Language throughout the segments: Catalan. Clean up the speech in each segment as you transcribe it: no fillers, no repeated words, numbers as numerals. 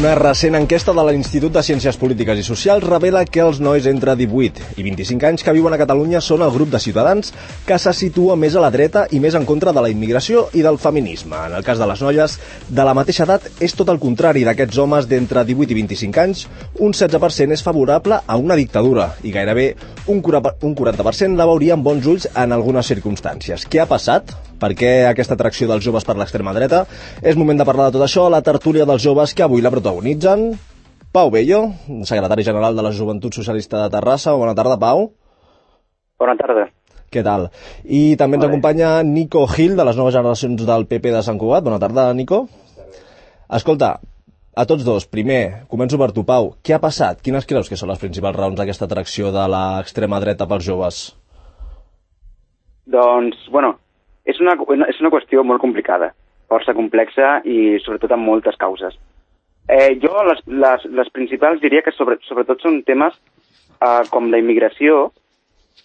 Una recent enquesta de l'Institut de Ciències Polítiques i Socials revela que els nois entre 18 i 25 anys que viuen a Catalunya són el grup de ciutadans que se situa més a la dreta i més en contra de la immigració i del feminisme. En el cas de les noies de la mateixa edat és tot el contrari. D'aquests homes d'entre 18 i 25 anys, un 16% és favorable a una dictadura i gairebé un 40% la veuria amb bons ulls en algunes circumstàncies. Què ha passat? Per què aquesta atracció dels joves per l'extrema dreta? És moment de parlar de tot això a la tertúlia dels joves que avui la protagonitzen. Pau Bello, secretari general de la Joventut Socialista de Terrassa. Bona tarda, Pau. Bona tarda. Què tal? I també ens acompanya Nico Gil, de les noves generacions del PP de Sant Cugat. Bona tarda, Nico. Escolta, a tots dos, primer, començo per tu, Pau. Què ha passat? Quines creus que són les principals raons d'aquesta atracció de l'extrema dreta pels joves? Doncs, és una qüestió molt complicada, força complexa i sobretot amb moltes causes. Jo les principals diria que sobretot són temes com la immigració,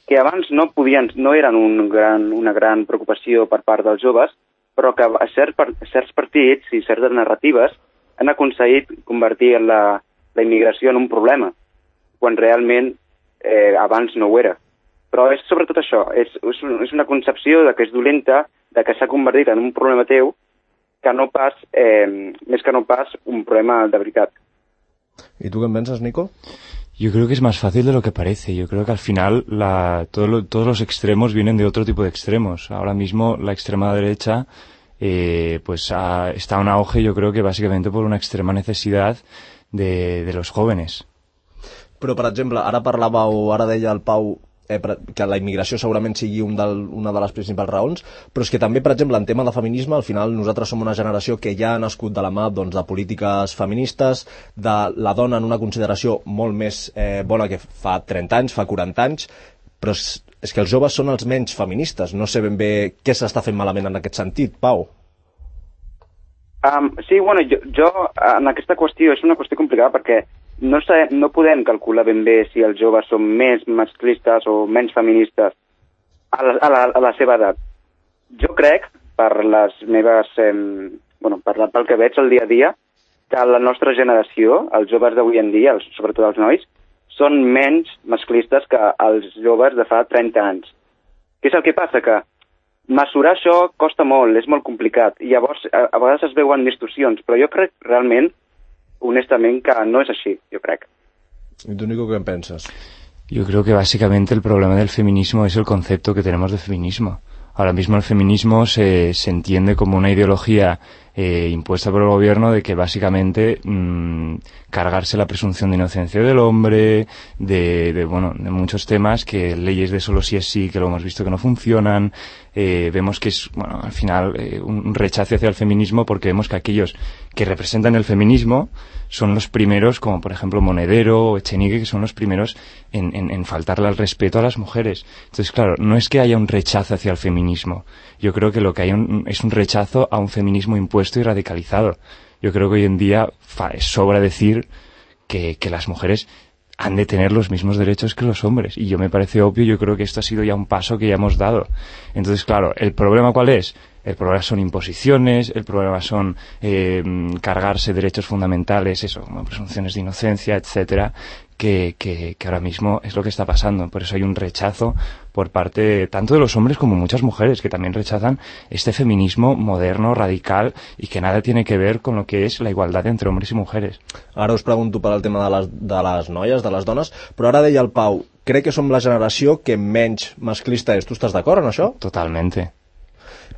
que abans no eren una gran preocupació per part dels joves, però que certs partits i certes narratives han aconseguit convertir la immigració en un problema, quan realment abans no ho era. Però és sobretot això, és una concepció de que és dolenta, de que s'ha convertit en un problema teu, que no pas, més que no pas un problema de veritat. ¿Y tú qué piensas, Nico? Yo creo que es más fácil de lo que parece. Yo creo que al final todos los extremos vienen de otro tipo de extremos. Ahora mismo la extrema derecha está en auge, yo creo que básicamente por una extrema necesidad de los jóvenes. Però, per exemple, ara deia el Pau que la immigració segurament sigui una de les principals raons, però és que també, per exemple, en tema de feminisme, al final nosaltres som una generació que ja ha nascut de la mà de polítiques feministes, de la dona en una consideració molt més bona que fa 30 anys, fa 40 anys, però és que els joves són els menys feministes. No sé ben bé què s'està fent malament en aquest sentit, Pau. Sí, jo en aquesta qüestió és una qüestió complicada perquè no podem calcular ben bé si els joves són més masclistes o menys feministes a la seva edat. Jo crec, per les meves, pel que veig el dia a dia, que la nostra generació, els joves d'avui en dia, sobretot els nois, són menys masclistes que els joves de fa 30 anys. Què és el que passa? Que mesurar això costa molt, és molt complicat, i llavors a vegades es veuen distorsions, però jo crec realment, honestament, que no es así, yo creo. ¿Y tú, Nico, qué piensas? Yo creo que básicamente el problema del feminismo es el concepto que tenemos de feminismo. Ahora mismo el feminismo se entiende como una ideología impuesta por el gobierno de que básicamente cargarse la presunción de inocencia del hombre, de muchos temas, que leyes de solo sí es sí, que lo hemos visto que no funcionan. Vemos que es, al final, un rechazo hacia el feminismo, porque vemos que aquellos que representan el feminismo son los primeros, como por ejemplo Monedero o Echenique, que son los primeros en faltarle al respeto a las mujeres. Entonces, claro, no es que haya un rechazo hacia el feminismo. Yo creo que lo que hay es un rechazo a un feminismo impuesto y radicalizado. Yo creo que hoy en día sobra decir que las mujeres han de tener los mismos derechos que los hombres. Y yo me parece obvio, yo creo que esto ha sido ya un paso que ya hemos dado. Entonces, claro, ¿el problema cuál es? El problema son imposiciones, el problema son cargarse derechos fundamentales, como presunciones de inocencia, etcétera, que ahora mismo es lo que está pasando. Por eso hay un rechazo por parte tanto de los hombres como muchas mujeres, que también rechazan este feminismo moderno, radical, y que nada tiene que ver con lo que es la igualdad entre hombres y mujeres. Ara us pregunto per al tema de les noies, de les dones, però ara deia el Pau, crec que som la generació que menys masclista és. Tu estàs d'acord en això? Totalmente.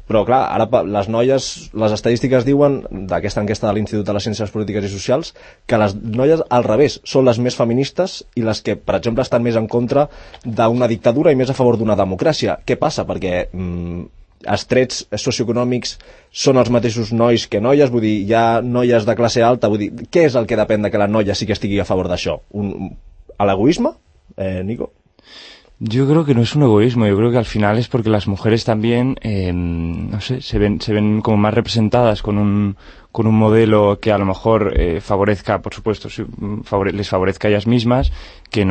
Però clar, ara les noies, les estadístiques diuen, d'aquesta enquesta de l'Institut de les Ciències Polítiques i Socials, que les noies al revés són les més feministes i les que, per exemple, estan més en contra d'una dictadura i més a favor d'una democràcia. Què passa? Perquè els trets socioeconòmics són els mateixos nois que noies, vull dir, hi ha noies de classe alta, vull dir, què és el que depèn de que la noia sí que estigui a favor d'això? ¿L'egoisme, Nico? Yo creo que no es un egoísmo, yo creo que al final es porque las mujeres también, se ven como más representadas con un modelo que a lo mejor favorezca, por supuesto, les favorezca a ellas mismas, que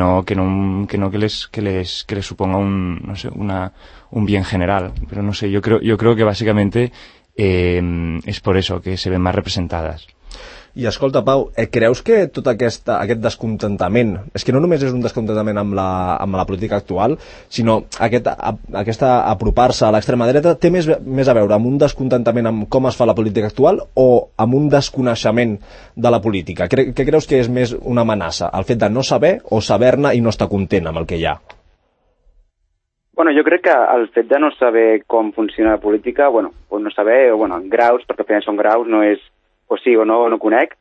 les suponga un bien general. Pero no sé, yo creo que básicamente es por eso que se ven más representadas. I escolta, Pau, creus que tot aquest descontentament, és que no només és un descontentament amb la política actual, sinó aquesta apropar-se a l'extrema dreta té més a veure amb un descontentament amb com es fa la política actual o amb un desconeixement de la política? Què creus que és més una amenaça? El fet de no saber o saber-ne i no estar content amb el que hi ha? Bueno, jo crec que el fet de no saber com funciona la política, no saber, en graus, perquè al final són graus, no és o sí o no conec.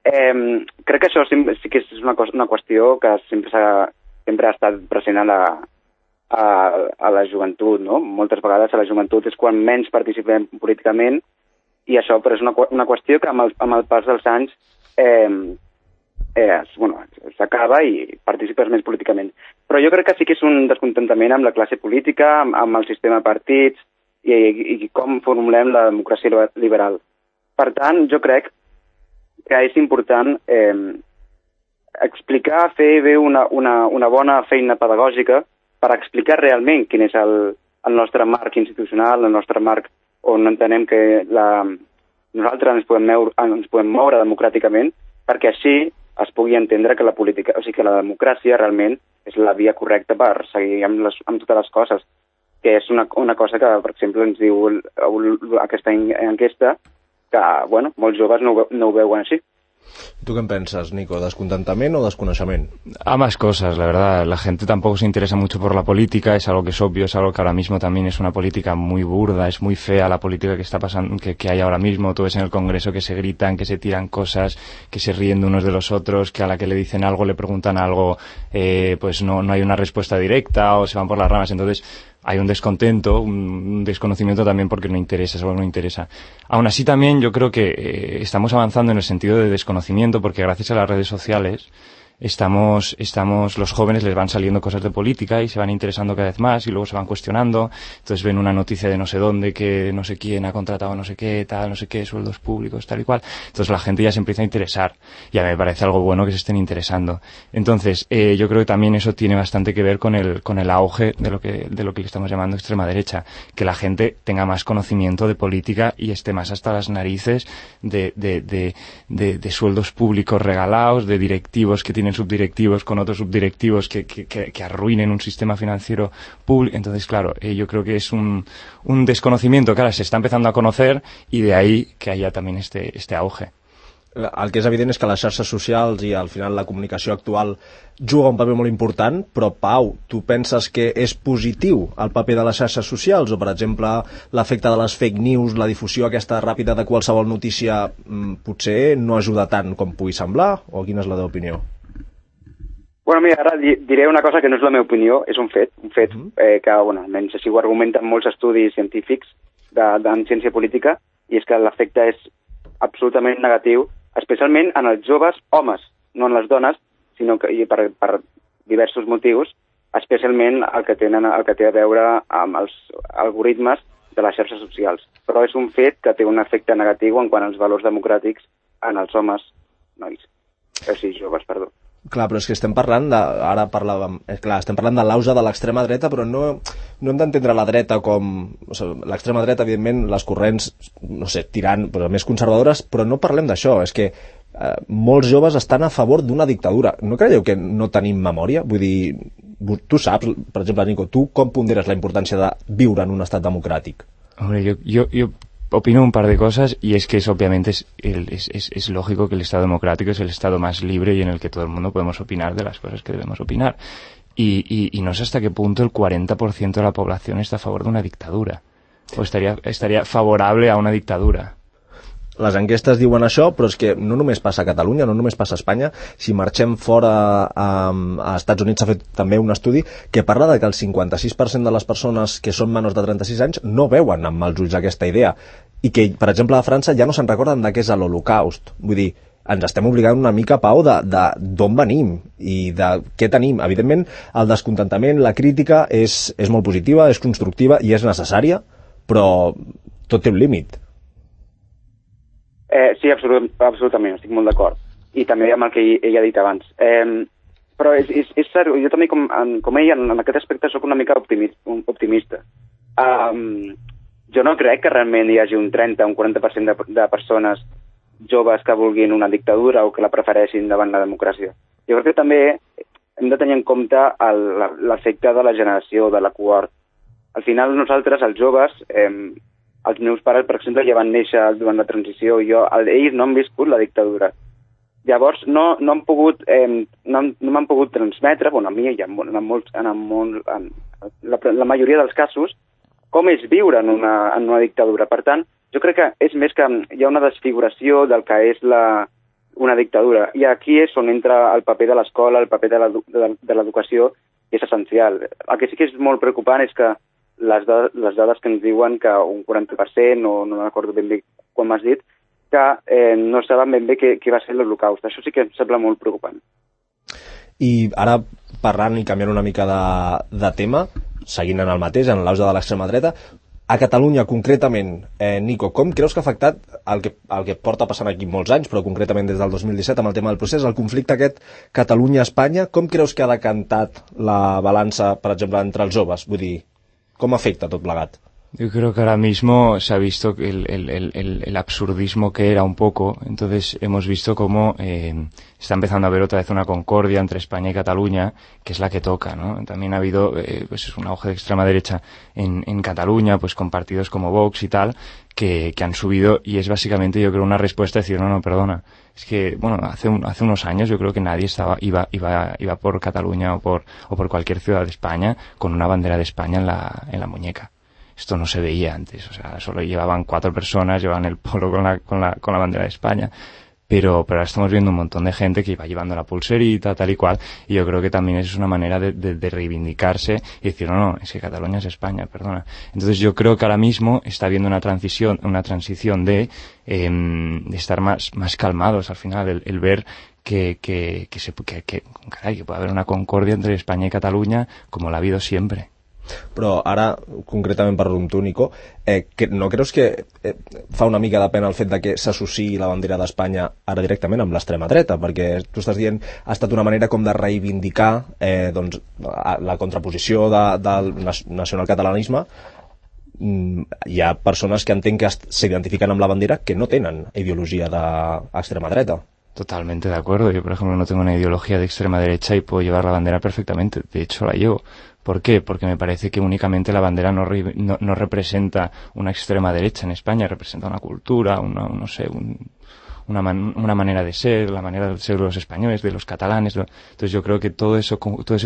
Crec que això sí que és una qüestió que sempre ha estat present a la joventut, no? Moltes vegades a la joventut és quan menys participem políticament i això però és una qüestió que amb el pas dels anys s'acaba i participes més políticament. Però jo crec que sí que és un descontentament amb la classe política, amb el sistema de partits i com formulem la democràcia liberal. Per tant, jo crec que és important explicar, fer bé una bona feina pedagògica per explicar realment quin és el nostre marc institucional, el nostre marc on entenem que nosaltres ens podem moure democràticament, perquè així es pugui entendre que la política, o sigui que la democràcia realment és la via correcta per seguir amb totes les coses, que és una cosa que, per exemple, ens diu aquesta enquesta, que, molts joves no ho veuen així. ¿Tú qué piensas, Nico? ¿Descontentamiento o desconocimiento? Ambas cosas, la verdad. La gente tampoco se interesa mucho por la política, es algo que es obvio, es algo que ahora mismo también es una política muy burda, es muy fea la política que está pasando, que hay ahora mismo. Tú ves en el Congreso que se gritan, que se tiran cosas, que se ríen de unos de los otros, que a la que le dicen algo, le preguntan algo, pues no hay una respuesta directa o se van por las ramas. Entonces, hay un descontento, un desconocimiento también porque no interesa, es algo que no interesa. Aún así también yo creo que estamos avanzando en el sentido de desconocimiento porque gracias a las redes sociales los jóvenes les van saliendo cosas de política y se van interesando cada vez más y luego se van cuestionando, entonces ven una noticia de no sé dónde que no sé quién ha contratado no sé qué, tal, no sé qué, sueldos públicos, tal y cual, entonces la gente ya se empieza a interesar y a mí me parece algo bueno que se estén interesando. Entonces yo creo que también eso tiene bastante que ver con el auge de lo que le estamos llamando extrema derecha, que la gente tenga más conocimiento de política y esté más hasta las narices de sueldos públicos regalados, de directivos que tienen subdirectivos con otros subdirectivos que arruinen un sistema financiero público. Entonces, claro, yo creo que es un desconocimiento que ahora se está empezando a conocer y de ahí que haya también este auge. El que és evident és que les xarxes socials i al final la comunicació actual juga un paper molt important, però Pau, tu penses que és positiu el paper de les xarxes socials o, per exemple, l'efecte de les fake news, la difusió aquesta ràpida de qualsevol notícia potser no ajuda tant com pugui semblar? O quina és la teva opinió? Bueno, mira, ara diré una cosa que no és la meva opinió, és un fet que, almenys així ho argumenten molts estudis científics en ciència política, i és que l'efecte és absolutament negatiu, especialment en els joves homes, no en les dones, sinó que per diversos motius, especialment el que té a veure amb els algoritmes de les xarxes socials. Però és un fet que té un efecte negatiu en quant als valors democràtics en els homes, joves, perdó. Clar, però és que estem parlant estem parlant de l'auge de l'extrema dreta, però no hem d'entendre la dreta com... l'extrema dreta, evidentment, les corrents, tirant, però més conservadores, però no parlem d'això, és que molts joves estan a favor d'una dictadura. No creieu que no tenim memòria? Vull dir, tu saps, per exemple, Nico, tu com ponderes la importància de viure en un estat democràtic? Hombre, yo opino un par de cosas y es que obviamente es lógico que el Estado democrático es el Estado más libre y en el que todo el mundo podemos opinar de las cosas que debemos opinar. Y no sé hasta qué punto el 40% de la población está a favor de una dictadura o estaría favorable a una dictadura. Les enquestes diuen això, però és que no només passa a Catalunya, no només passa a Espanya. Si marxem fora a Estats Units s'ha fet també un estudi que parla de que el 56% de les persones que són menors de 36 anys no veuen amb mals ulls aquesta idea i que, per exemple, a França ja no se'n recorden de què és l'Holocaust. Vull dir, ens estem obligant una mica, Pau, d'on venim i de què tenim. Evidentment, el descontentament, la crítica és molt positiva, és constructiva i és necessària, però tot té un límit. Sí, absolutament, estic molt d'acord. I també amb el que ell ha dit abans. Però és cert, jo també, com ell, en aquest aspecte soc una mica optimista. Jo no crec que realment hi hagi un 30 o un 40% de persones joves que vulguin una dictadura o que la prefereixin davant la democràcia. Jo crec que també hem de tenir en compte l'efecte de la generació, de la cohort. Al final nosaltres, els joves, els meus pares, per exemple, ja van néixer durant la transició i ells no han viscut la dictadura. Llavors no m'han pogut transmetre, a mi i la majoria dels casos, com és viure en una dictadura. Per tant, jo crec que és més que hi ha una desfiguració del que és una dictadura. I aquí és on entra el paper de l'escola, el paper de l'educació, que és essencial. El que sí que és molt preocupant és que les dades que ens diuen que un 40%, o no recordo ben bé quan m'has dit, que no saben ben bé què va ser l'Holocaust. Això sí que em sembla molt preocupant. I ara, parlant i canviant una mica de tema, seguint en el mateix, en l'auge de l'extrema dreta, a Catalunya concretament, Nico, com creus que ha afectat el que porta passant aquí molts anys, però concretament des del 2017 amb el tema del procés, el conflicte aquest Catalunya-Espanya, com creus que ha decantat la balança, per exemple, entre els joves? Vull dir, com afecta tot plegat? Yo creo que ahora mismo se ha visto el absurdismo que era un poco. Entonces hemos visto cómo está empezando a haber otra vez una concordia entre España y Cataluña, que es la que toca, ¿no? También ha habido pues un auge de extrema derecha en Cataluña, pues con partidos como Vox y tal, que han subido, y es básicamente, yo creo, una respuesta a decir, no, perdona. Es que, bueno, hace unos años yo creo que nadie iba por Cataluña o por cualquier ciudad de España con una bandera de España en la muñeca. Esto no se veía antes, o sea, solo llevaban 4 personas, llevaban el polo con la bandera de España, pero ahora estamos viendo un montón de gente que iba llevando la pulserita, tal y cual, y yo creo que también es una manera de reivindicarse y decir, no, es que Cataluña es España, perdona. Entonces yo creo que ahora mismo está habiendo una transición de estar más calmados al final, el ver que puede haber una concordia entre España y Cataluña como la ha habido siempre. Però ara, concretament parlo amb tu, Nico, no creus que fa una mica de pena el fet de que s'associï la bandera d'Espanya ara directament amb l'extrema dreta? Perquè tu estàs dient ha estat una manera com de reivindicar la contraposició del nacionalcatalanisme. Hi ha persones que entenc que s'identifiquen amb la bandera que no tenen ideologia d'extrema dreta. Totalmente de acuerdo. Yo, por ejemplo, no tengo una ideología de extrema derecha y puedo llevar la bandera perfectamente. De hecho, la llevo. ¿Por qué? Porque me parece que únicamente la bandera no representa una extrema derecha en España, representa una cultura, una manera de ser, la manera de ser de los españoles, de los catalanes. Entonces yo creo que todo ese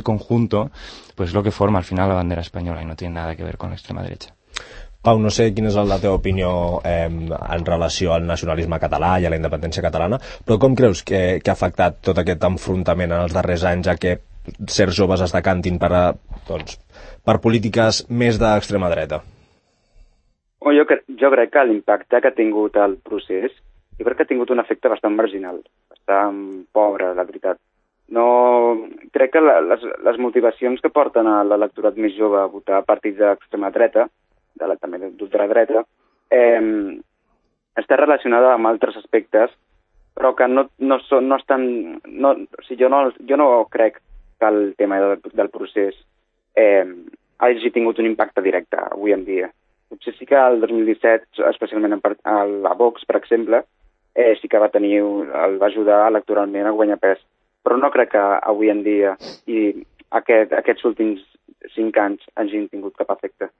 conjunto pues es lo que forma al final la bandera española y no tiene nada que ver con la extrema derecha. Pau, no sé quina és la teva opinió en relació al nacionalisme català i a la independència catalana, però com creus que ha afectat tot aquest enfrontament en els darrers anys a que certs joves es decantin per polítiques més d'extrema dreta? Jo crec que l'impacte que ha tingut el procés, jo crec que ha tingut un efecte bastant marginal, bastant pobre, la veritat. No, crec que les motivacions que porten a l'electorat més jove a votar partits d'extrema dreta, també d'ultradreta, està relacionada amb altres aspectes, però que no estan... Jo no crec que el tema del procés hagi tingut un impacte directe avui en dia. Potser sí que el 2017, especialment a Vox, per exemple, sí que el va ajudar electoralment a guanyar pes, però no crec que avui en dia i aquests últims 5 anys hagin tingut cap efecte.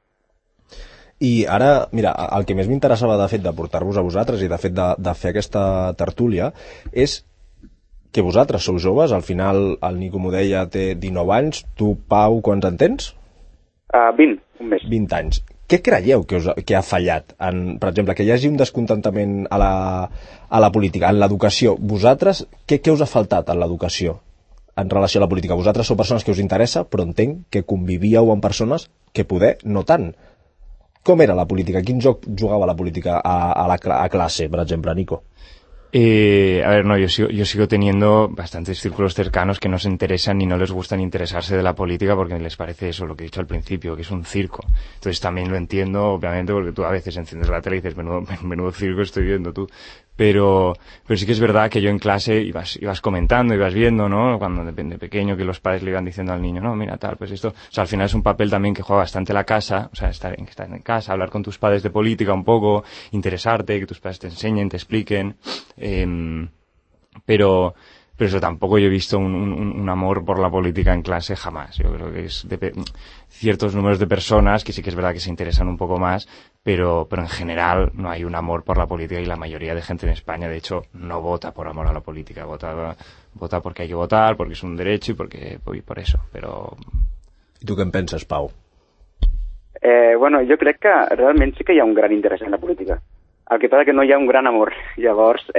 I ara, mira, el que més m'interessava de fet de portar-vos a vosaltres i de fet de fer aquesta tertúlia és que vosaltres sou joves, al final el Nico m'ho deia, té 19 anys, tu, Pau, quants en tens? 20, un mes. 20 anys. Què creieu que ha fallat? Per exemple, que hi hagi un descontentament a la política, en l'educació. Vosaltres, què us ha faltat en l'educació en relació a la política? Vosaltres sou persones que us interessa, però entenc que convivíeu amb persones que poder no tant. Com era la política? Quin joc jugava la política a clase, per exemple, Nico? A ver, no, yo sigo teniendo bastantes círculos cercanos que no se interesan ni no les gusta ni interesarse de la política porque les parece eso, lo que he dicho al principio, que es un circo. Entonces también lo entiendo, obviamente, porque tú a veces enciendes la tele y dices, menudo circo estoy viendo tú. Pero sí que es verdad que yo en clase ibas comentando, ibas viendo, ¿no? Cuando de pequeño que los padres le iban diciendo al niño, no, mira, tal, pues esto. O sea, al final es un papel también que juega bastante la casa, o sea, estar en casa, hablar con tus padres de política un poco, interesarte, que tus padres te enseñen, te expliquen. Pero eso tampoco yo he visto un amor por la política en clase jamás. Yo creo que es ciertos números de personas que sí que es verdad que se interesan un poco más, pero en general no hay un amor por la política y la mayoría de gente en España, de hecho, no vota por amor a la política, vota porque hay que votar, porque es un derecho y por eso, però... I tu què en penses, Pau? Bueno, jo crec que realment sí que hi ha un gran interès en la política. El que passa que no hi ha un gran amor. Llavors,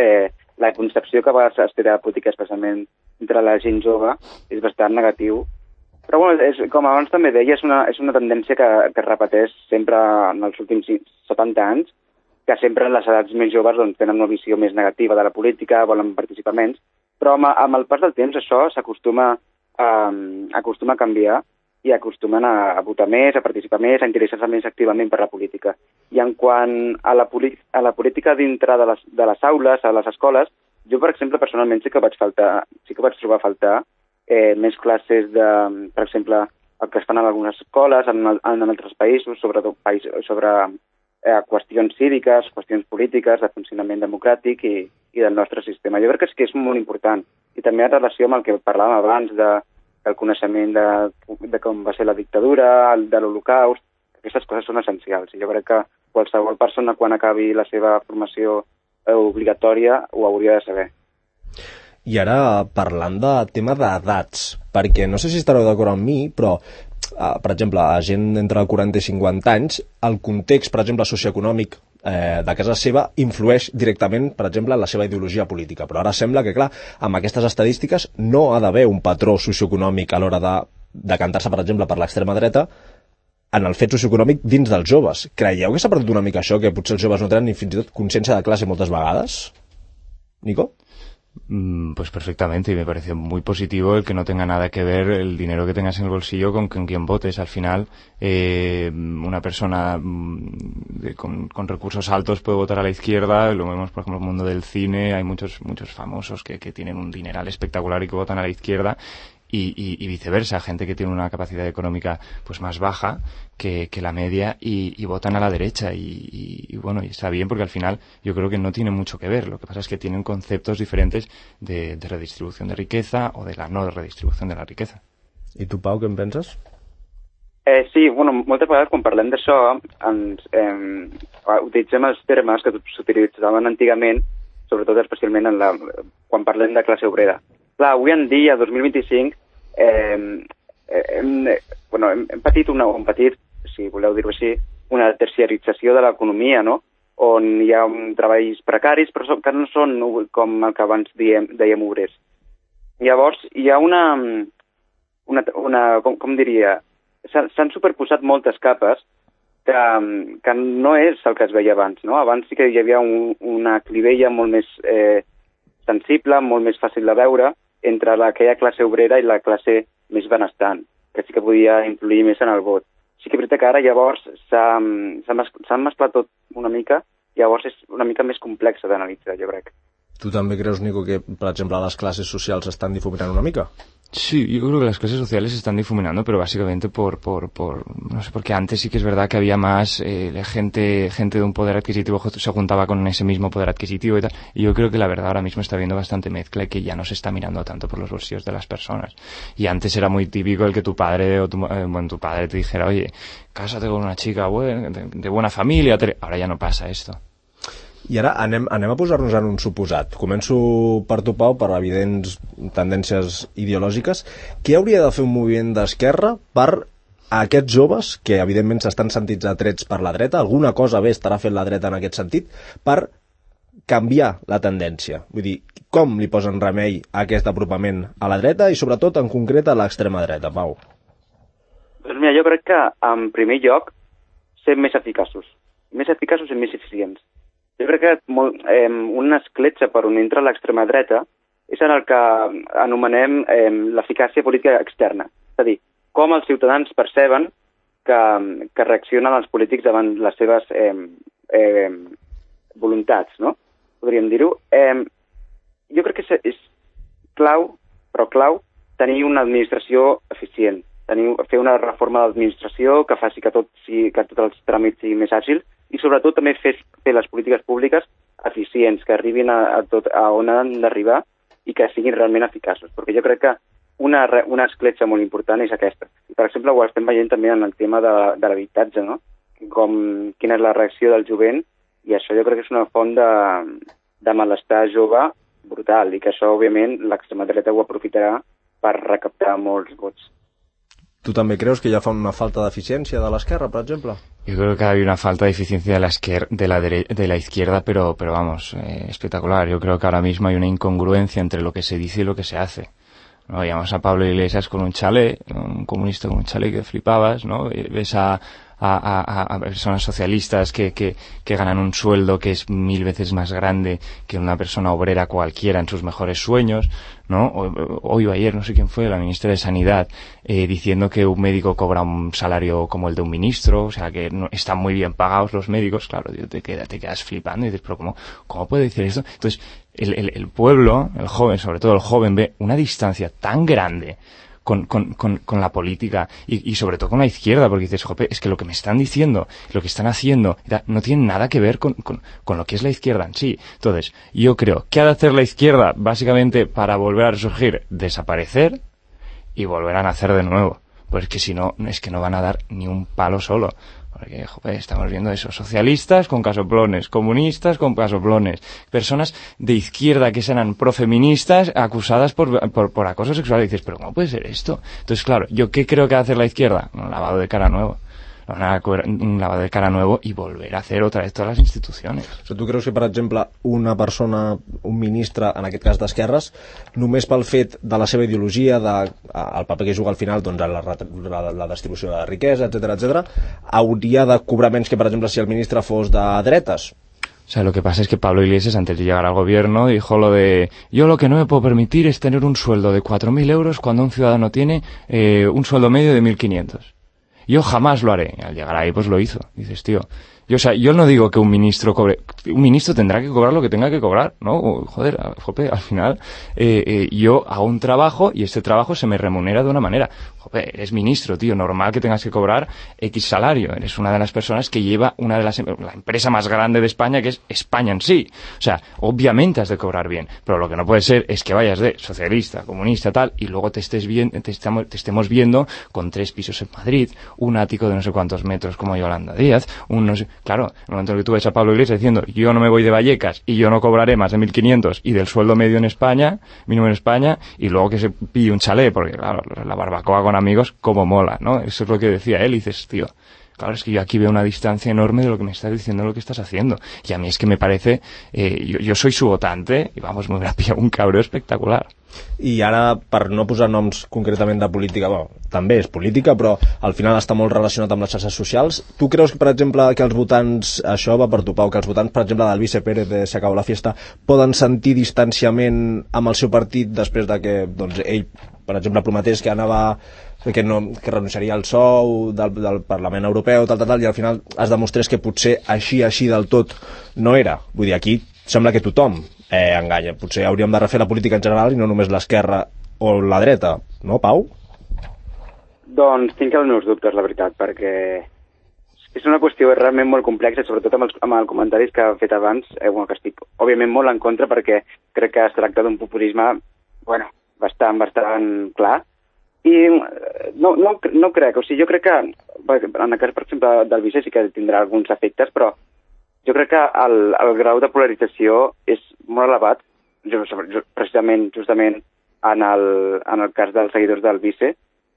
la concepció que a vegades es té de la política, especialment entre la gent jove, és bastant negatiu. Però, bueno, com abans també deia, és una tendència que es repeteix sempre en els últims 70 anys, que sempre en les edats més joves doncs, tenen una visió més negativa de la política, volen participar menys, però amb el pas del temps això s'acostuma a canviar i acostumen a votar més, a participar més, a interessar-se més activament per la política. I en quant a la política dintre de les aules, a les escoles, jo, per exemple, personalment sí que vaig trobar a faltar més classes de, per exemple, el que es fan en algunes escoles, en altres països, sobre qüestions cíviques, qüestions polítiques, de funcionament democràtic i del nostre sistema. Jo crec que és molt important. I també en relació amb el que parlàvem abans del coneixement de com va ser la dictadura, de l'Holocaust, aquestes coses són essencials. I jo crec que qualsevol persona, quan acabi la seva formació obligatòria, ho hauria de saber. I ara, parlant de tema d'edats, perquè no sé si estareu d'acord amb mi, però, per exemple, a gent entre 40 i 50 anys, el context, per exemple, socioeconòmic de casa seva influeix directament, per exemple, en la seva ideologia política. Però ara sembla que, clar, amb aquestes estadístiques no ha d'haver un patró socioeconòmic a l'hora de decantar-se, per exemple, per l'extrema dreta en el fet socioeconòmic dins dels joves. Creieu que s'ha perdut una mica això, que potser els joves no tenen ni fins i tot consciència de classe moltes vegades? Nico? Pues perfectamente, y me parece muy positivo el que no tenga nada que ver el dinero que tengas en el bolsillo con quién votes. Al final, una persona con recursos altos puede votar a la izquierda, lo vemos por ejemplo en el mundo del cine, hay muchos famosos que tienen un dineral espectacular y que votan a la izquierda, y viceversa, gente que tiene una capacidad económica pues más baja que la media y votan a la derecha y bueno, y está bien porque al final yo creo que no tiene mucho que ver. Lo que pasa es que tienen conceptos diferentes de redistribución de riqueza o de la no redistribución de la riqueza. I tu, Pau, què en penses? Sí, bueno, moltes vegades quan parlem d'això utilitzem els termes que s'utilitzaven antigament, sobretot especialment quan parlem de classe obrera. Clar, avui en dia, 2025, hem patit, si voleu dir-ho així, una terciarització de l'economia, no? On hi ha treballs precaris, però que no són com el que abans dèiem obrers. Llavors, hi ha com diria, s'han superposat moltes capes que no és el que es veia abans, no? Abans sí que hi havia una clivella molt més sensible, molt més fàcil de veure, entre aquella classe obrera i la classe més benestant, que sí que podia influir més en el vot. Sí que és veritat que ara llavors s'ha mesclat tot una mica, llavors és una mica més complexa d'analitzar, jo crec. Tu també creus, Nico, que, per exemple, las clases socials estan difuminant una mica? Sí, yo creo que las clases sociales se están difuminando, pero básicamente no sé, porque antes sí que es verdad que había más gente de un poder adquisitivo se juntaba con ese mismo poder adquisitivo y tal, y yo creo que la verdad ahora mismo está habiendo bastante mezcla y que ya no se está mirando tanto por los bolsillos de las personas. Y antes era muy típico el que tu padre o tu padre te dijera, oye, cásate con una chica de buena familia, ahora ya no pasa esto. I ara anem a posar-nos en un suposat. Començo per tu, Pau, per evidents tendències ideològiques. Què hauria de fer un moviment d'esquerra per a aquests joves, que evidentment s'estan sentits atrets per la dreta, alguna cosa bé estarà fent la dreta en aquest sentit, per canviar la tendència? Vull dir, com li posen remei a aquest apropament a la dreta i sobretot en concret a l'extrema dreta, Pau? Doncs mira, jo crec que en primer lloc ser més eficaços i més eficients. Jo crec que una escletxa per on entra l'extrema dreta és en el que anomenem l'eficàcia política externa. És a dir, com els ciutadans perceben que reaccionen els polítics davant les seves voluntats, no? podríem dir-ho. Jo crec que és clau, tenir una administració eficient, fer una reforma de l'administració que faci que tots els tràmits siguin més àgils i sobretot també fer les polítiques públiques eficients, que arribin a on han d'arribar i que siguin realment eficaços, perquè jo crec que una escletxa molt important és aquesta. I, per exemple, ho estem veient també en el tema de l'habitatge, no? Quina és la reacció del jovent, i això jo crec que és una font de malestar jove brutal, i que això, òbviament, l'extrema dreta ho aprofitarà per recaptar molts vots. ¿Tú también crees que ya fa una falta de eficiencia de la izquierda, por ejemplo? Yo creo que hay una falta de eficiencia de la izquierda, pero vamos, espectacular. Yo creo que ahora mismo hay una incongruencia entre lo que se dice y lo que se hace. ¿No? Veíamos a Pablo Iglesias con un chalet, un comunista con un chalet que flipabas, ¿no? Ves a personas socialistas que ganan un sueldo que es 1000 veces más grande que una persona obrera cualquiera en sus mejores sueños, ¿no? Hoy o ayer, no sé quién fue, la ministra de Sanidad, diciendo que un médico cobra un salario como el de un ministro, o sea, que no, están muy bien pagados los médicos. Claro, tío, te quedas flipando y dices, pero ¿cómo puede decir esto? Entonces, el pueblo, el joven, sobre todo el joven, ve una distancia tan grande con la política y sobre todo con la izquierda, porque dices, jope, es que lo que me están diciendo, lo que están haciendo, no tiene nada que ver con lo que es la izquierda en sí. Entonces, yo creo que ha de hacer la izquierda, básicamente, para volver a resurgir, desaparecer y volver a nacer de nuevo. Pues que si no, es que no van a dar ni un palo solo. Porque, joder, estamos viendo eso, socialistas con casoplones, comunistas con casoplones, personas de izquierda que serán profeministas acusadas por acoso sexual. Y dices, pero ¿cómo puede ser esto? Entonces, claro, ¿yo qué creo que va a hacer la izquierda? Un lavado de cara nuevo. Un lavado de cara nuevo y volver a hacer otra vez todas las instituciones. O sigui, tu creus que, per exemple, una persona, un ministre, en aquest cas d'esquerres, només pel fet de la seva ideologia, el paper que juga al final, doncs, la distribució de la riquesa, etc., hauria de cobrar menys que, per exemple, si el ministre fos de dretes? O sea, lo que pasa es que Pablo Iglesias, antes de llegar al gobierno, dijo lo de yo lo que no me puedo permitir es tener un sueldo de 4.000 euros cuando un ciudadano tiene un sueldo medio de 1.500. Yo jamás lo haré. Al llegar ahí, pues lo hizo. Dices, tío, yo no digo que un ministro cobre, un ministro tendrá que cobrar lo que tenga que cobrar, ¿no? Joder, al final, yo hago un trabajo y este trabajo se me remunera de una manera. Joder, eres ministro, tío, normal que tengas que cobrar X salario. Eres una de las personas que lleva la empresa más grande de España, que es España en sí. O sea, obviamente has de cobrar bien, pero lo que no puede ser es que vayas de socialista, comunista, tal, y luego te estemos viendo con 3 pisos en Madrid, un ático de no sé cuántos metros como Yolanda Díaz, no sé. Claro, en el momento en que tú ves a Pablo Iglesias diciendo yo no me voy de Vallecas y yo no cobraré más de 1.500 y del sueldo medio en España, mínimo en España, y luego que se pille un chalet, porque claro, la barbacoa con amigos, como mola, ¿no? Eso es lo que decía él, y dices, tío, claro, es que yo aquí veo una distancia enorme de lo que me estás diciendo, de lo que estás haciendo. Y a mí es que me parece, yo soy su votante, y vamos, me hubiera pillado un cabreo espectacular. I ara, per no posar noms concretament de política, també és política, però al final està molt relacionat amb les xarxes socials. Tu creus que, per exemple, que els votants, això va per tu, Pau, que els votants, per exemple, del Vice Pérez de Se acabó la fiesta, poden sentir distanciament amb el seu partit després de que, doncs, ell, per exemple, prometés que que renunciaria al sou del Parlament Europeu, tal, i al final es demostrés que potser així del tot no era. Vull dir, aquí sembla que tothom enganya. Potser hauríem de refer la política en general i no només l'esquerra o la dreta, no, Pau? Doncs tinc els meus dubtes, la veritat, perquè és una qüestió realment molt complexa, sobretot amb els comentaris que he fet abans, que estic òbviament molt en contra, perquè crec que es tracta d'un populisme, bastant clar, i no crec, o sigui, jo crec que en el cas, per exemple, del Vice sí que tindrà alguns efectes, però jo crec que el grau de polarització és molt elevat, precisament, justament, en el cas dels seguidors del Vice,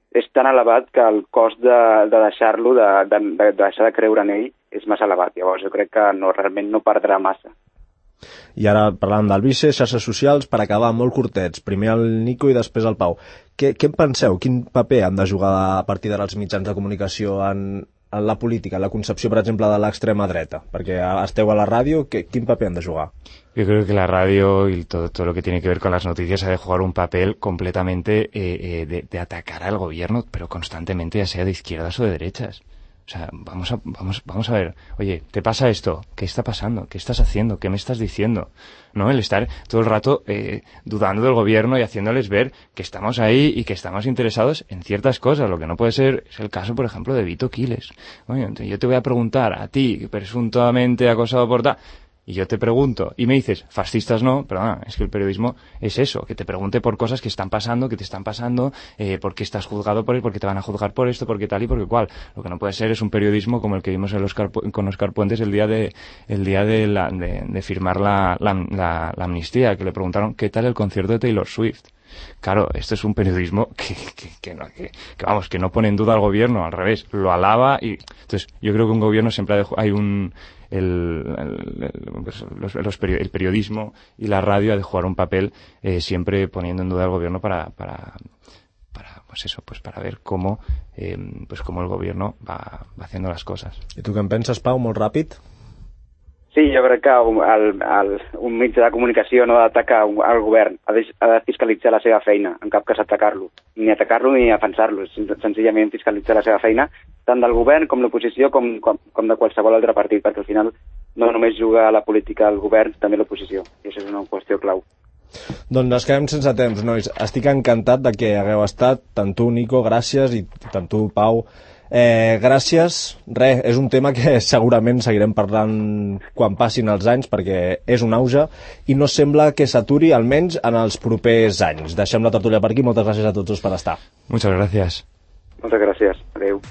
és tan elevat que el cost de deixar-lo, de deixar de creure en ell, és massa elevat. Llavors jo crec que realment no perdrà massa. I ara parlant del Vice, xarxes socials, per acabar molt curtets, primer el Nico i després el Pau. Què en penseu? Quin paper han de jugar a partir d'ara els mitjans de comunicació en la política, en la concepció, per exemple, de l'extrema dreta? Perquè esteu a la ràdio, quin paper han de jugar? Yo creo que la radio y todo lo que tiene que ver con las noticias ha de jugar un papel completamente de atacar al gobierno, pero constantemente, ya sea de izquierdas o de derechas. O O sea, vamos a ver, oye, ¿te pasa esto? ¿Qué está pasando? ¿Qué estás haciendo? ¿Qué me estás diciendo? ¿No? El estar todo el rato dudando del gobierno y haciéndoles ver que estamos ahí y que estamos interesados en ciertas cosas. Lo que no puede ser es el caso, por ejemplo, de Vito Quiles. Oye, yo te voy a preguntar a ti, presuntamente acosado por tal, y yo te pregunto, y me dices, fascistas no, perdona, es que el periodismo es eso, que te pregunte por cosas que están pasando, que te están pasando, por qué estás juzgado por él, por qué te van a juzgar por esto, por qué tal y por qué cual. Lo que no puede ser es un periodismo como el que vimos con Óscar Puentes el día de firmar la amnistía, que le preguntaron qué tal el concierto de Taylor Swift. Claro, esto es un periodismo que no pone en duda al gobierno, al revés, lo alaba. Y entonces yo creo que un gobierno siempre hay el periodismo y la radio ha de jugar un papel siempre poniendo en duda al gobierno para ver cómo el gobierno va haciendo las cosas. I tu què en penses, Pau, molt ràpid? Sí, jo crec que un mitjà de comunicació no ha d'atacar el govern, ha de fiscalitzar la seva feina, en cap cas atacar-lo, ni atacar-lo ni defensar-lo, senzillament fiscalitzar la seva feina, tant del govern com l'oposició com de qualsevol altre partit, perquè al final no només juga a la política el govern, també l'oposició, i això és una qüestió clau. Doncs ens quedem sense temps, nois. Estic encantat de que hagueu estat, tant tu, Nico, gràcies, i tant tu, Pau, gràcies. És un tema que segurament seguirem parlant quan passin els anys, perquè és un auge i no sembla que s'aturi, almenys en els propers anys. Deixem la tertúlia per aquí. Moltes gràcies a tots dos per estar. Muchas gracias. Moltes gràcies. Adéu.